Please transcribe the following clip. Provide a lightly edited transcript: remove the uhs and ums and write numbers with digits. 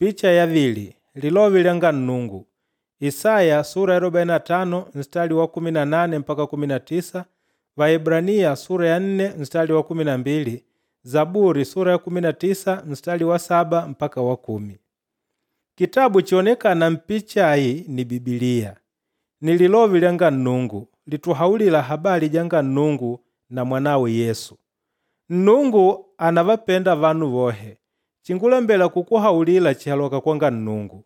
Picha yavili Lilove lyanga Nnungu. Isaya sura ya 45 nstali wa 18 mpaka 19, Vaebrania sura ya 4 nstali wa 12, Zaburi sura ya 19 nstali wa 7 mpaka wa 10. Kitabu chionekana mpicha ayi ni Bibiliya. Ni Lilove lyanga Nnungu lituhaulila habali janga Nnungu na mwanawe Yesu. Nnungu ànavapenda vanu vohe. Chingulembela kukuhaulila chihaloka kwanga Nnungu.